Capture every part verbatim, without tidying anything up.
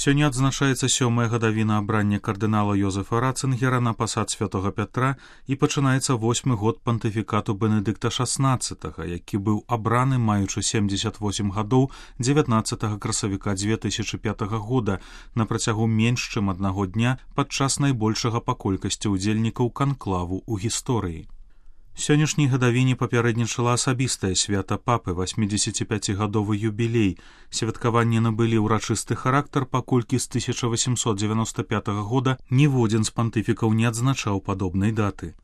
Сёння адзначаецца сёмая гадавіна абрання кардынала Йозефа Ратцингера на пасад святого Пятра і пачынаецца восьмы год пантыфікату Бенедыкта шаснаццатага, які быў абраны маючы семдзесят восем гадоў дзевятнаццатага красавіка дзве тысячы пятага года на працягу менш чым аднаго дня падчас найбольшага па колькасці ўдзельнікаў канклаву ў гісторыі. Сённяшняй гадавіне папярэднічала асабістае свята папы, восьмідзесяціпяцігадовы юбілей. Святкаванне набылі ўрачысты характар, паколькі з тысяча васемсот дзевяноста пятага года ніводзін з пантыфікаў не адзначаў падобнай даты.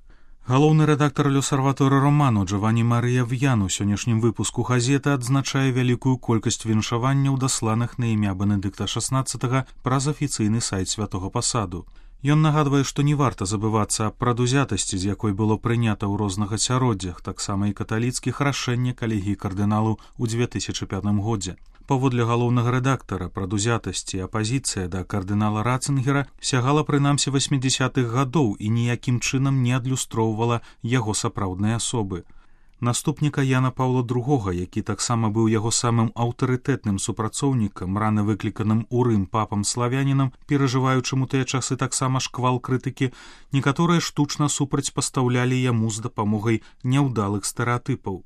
Галоўны рэдактар L'Osservatore Romano Джованні Марыя В'ян у сённяшнім выпуску газеты адзначае вялікую колькасць віншаванняў, дасланых на імя Бенедыкта шаснаццатага праз афіцыйны сайт святого пасаду. Ён нагадвае, што не варта забывацца аб прадузятасці, з якой было прынята ў розных асяроддзях, таксама і каталіцкіх рашэння калегіі кардыналу ў дзве тысячы пятым годзе. Паводле галоўнага рэдактара, прадузятасці і апазіцыя да кардынала Ратцингера сягала прынамсі васьмідзясятых гадоў і ніякім чынам не адлюстроўвала яго сапраўднай асобы. Наступніка Яна Паўла другога, які таксама быў яго самым аўтарытэтным супрацоўнікам, рана выкліканым у Рым папам-славянінам, перажываючым у тыя часы таксама шквал крытыкі, некаторыя штучна супрацьпастаўлялі яму з дапамогай няўдалых стэрэатыпаў.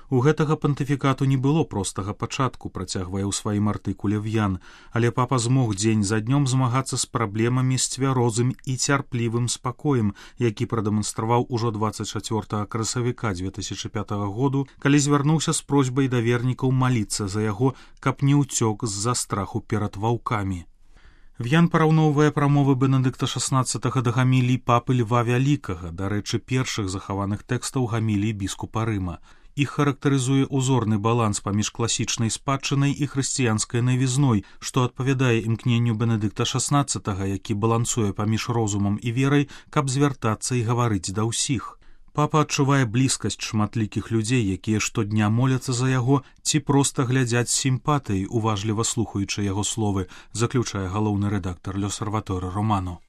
У гэтага пантыфікату не было простага пачатку, працягвае ў сваім артыкуле В'ян, але папа змог дзень за днём змагацца з праблемамі з цвярозым і цярплівым спакоем, які прадэманстраваў ужо дваццаць чацвёртага красавіка дзве тысячы пятага году, калі звярнуўся з просьбай да вернікаў маліцца за яго, каб не ўцёк з-за страху перад ваўкамі. В'ян параўноўвае прамовы Бенедыкта шаснаццатага да гамілій папы Льва Вялікага, дарэчы, першых захаваных тэкстаў гамілій біскупа Рыма. Іх характарызуе узорны баланс паміж класічнай спадчынай і хрысціянскай навізной, што адпавядае імкненню Бенедыкта шаснаццатага, які балансуе паміж розумам і верай, каб звяртацца і гаварыць да ўсіх. Папа адчувае блізкасць шматлікіх людзей, якія штодня моляцца за яго ці проста глядзяць з сімпатыяй, уважліва слухаючы яго словы, заключае галоўны рэдактар L'Osservatore Romano.